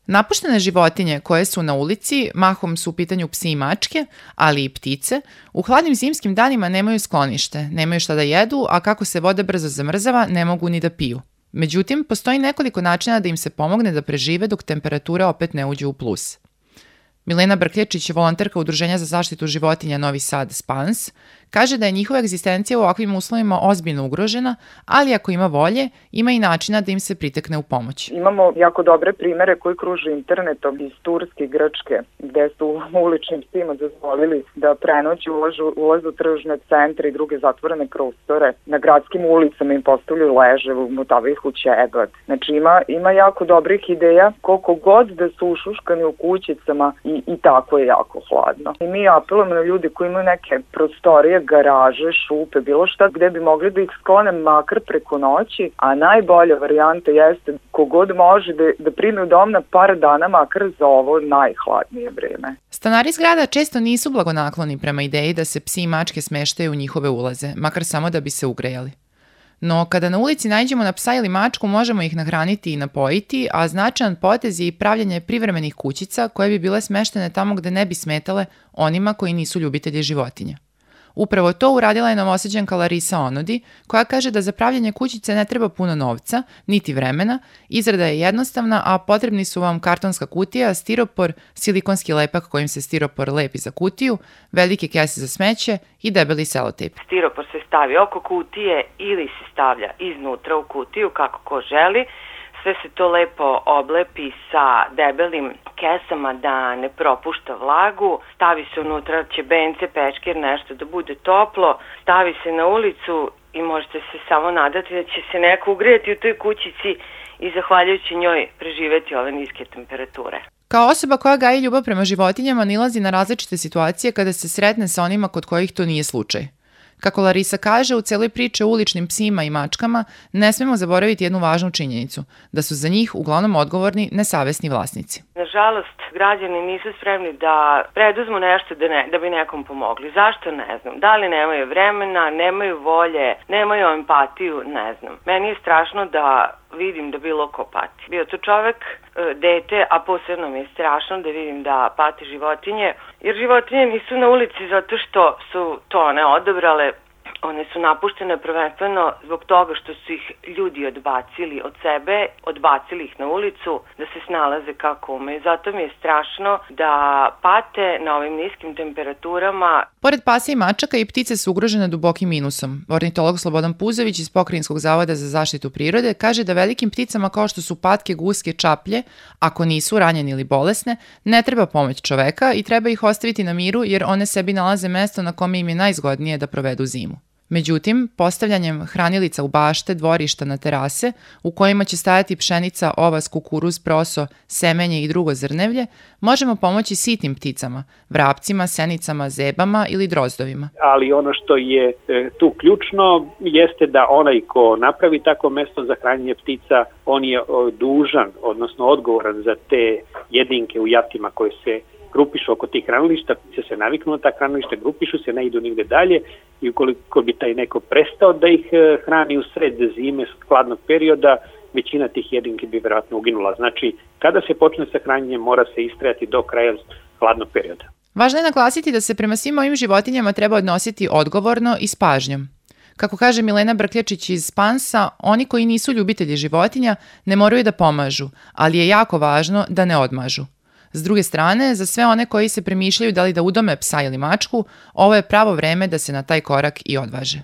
Napuštene životinje koje su na ulici, mahom su u pitanju psi i mačke, ali i ptice, u hladnim zimskim danima nemaju sklonište, nemaju šta da jedu, a kako se voda brzo zamrzava, ne mogu ni da piju. Međutim, postoji nekoliko načina da im se pomogne da prežive dok temperature opet ne uđu u plus. Milena Brkljačić, volonterka Udruženja za zaštitu životinja Novi Sad Spans, kaže da je njihova egzistencija u ovakvim uslovima ozbiljno ugrožena, ali ako ima volje, ima i načina da im se pritekne u pomoć. Imamo jako dobre primere koji kruže internetom iz Turske i Grčke, gde su uličnim psima dozvolili da prenoći ulaze u tržne centre i druge zatvorene prostore. Na gradskim ulicama im postavljaju leževe, umotavaju ih u ćebad. Znači ima jako dobrih ideja, koliko god da su ušuškani u kućicama i tako je jako hladno. I mi apelujemo na ljudi koji imaju neke prostorije, garaže, šupe, bilo šta gde bi mogli da ih sklone makar preko noći, a najbolja varijanta jeste kogod može da primi u dom na par dana makar za ovo najhladnije vreme. Stanari zgrada često nisu blagonakloni prema ideji da se psi i mačke smeštaju u njihove ulaze, makar samo da bi se ugrejali. No, kada na ulici nađemo na psa ili mačku, možemo ih nahraniti i napojiti, a značajan potez je i pravljanje privremenih kućica koje bi bile smeštene tamo gde ne bi smetale onima koji nisu ljubitelji životinja. Upravo to uradila je Novosađanka Larisa Onodi, koja kaže da za pravljanje kućice ne treba puno novca, niti vremena, izrada je jednostavna, a potrebni su vam kartonska kutija, stiropor, silikonski lepak kojim se stiropor lepi za kutiju, velike kese za smeće i debeli selotejp. Stiropor se stavi oko kutije ili se stavlja iznutra u kutiju kako ko želi. Sve se to lepo oblepi sa debelim kesama da ne propušta vlagu, stavi se unutra ćebence, pečkir, nešto da bude toplo, stavi se na ulicu i možete se samo nadati da će se neko ugrijati u toj kućici i zahvaljujući njoj preživeti ove niske temperature. Kao osoba koja gaji ljubav prema životinjama nailazi na različite situacije kada se sretne sa onima kod kojih to nije slučaj. Kako Larisa kaže, u celoj priči o uličnim psima i mačkama ne smemo zaboraviti jednu važnu činjenicu, da su za njih uglavnom odgovorni nesavesni vlasnici. Nažalost, građani nisu spremni da preduzmu nešto da bi nekom pomogli. Zašto? Ne znam. Da li nemaju vremena, nemaju volje, nemaju empatiju, ne znam. Meni je strašno da vidim da bilo ko pati. Bio to čovek, dete, a posebno mi je strašno da vidim da pati životinje, jer životinje nisu na ulici zato što su to one odabrale. One su napuštene prvenstveno zbog toga što su ih ljudi odbacili od sebe, odbacili ih na ulicu da se snalaze kako umeju. Zato mi je strašno da pate na ovim niskim temperaturama. Pored pasa i mačaka i ptice su ugrožene dubokim minusom. Ornitolog Slobodan Puzović iz Pokrajinskog zavoda za zaštitu prirode kaže da velikim pticama kao što su patke, guske, čaplje, ako nisu ranjene ili bolesne, ne treba pomoć čoveka i treba ih ostaviti na miru jer one sebi nalaze mesto na kome im je najzgodnije da provedu zimu. Međutim, postavljanjem hranilica u bašte, dvorišta na terase, u kojima će stajati pšenica, ovas, kukuruz, proso, semenje i drugo zrnevlje, možemo pomoći sitnim pticama, vrapcima, senicama, zebama ili drozdovima. Ali ono što je tu ključno jeste da onaj ko napravi tako mesto za hranjenje ptica, on je dužan, odnosno odgovoran za te jedinke u jatima koje se grupišu oko tih hranilišta, ptice se naviknu na ta hranilišta, grupišu se, ne idu nigde dalje i ukoliko bi taj neko prestao da ih hrani u sred zime, hladnog perioda, većina tih jedinki bi vjerojatno uginula. Znači, kada se počne sa hranjenjem, mora se istrajati do kraja hladnog perioda. Važno je naglasiti da se prema svim ovim životinjama treba odnositi odgovorno i s pažnjom. Kako kaže Milena Brkljačić iz Spansa, oni koji nisu ljubitelji životinja ne moraju da pomažu, ali je jako važno da ne odmažu. S druge strane, za sve one koji se premišljaju da li da udome psa ili mačku, ovo je pravo vreme da se na taj korak i odvaže.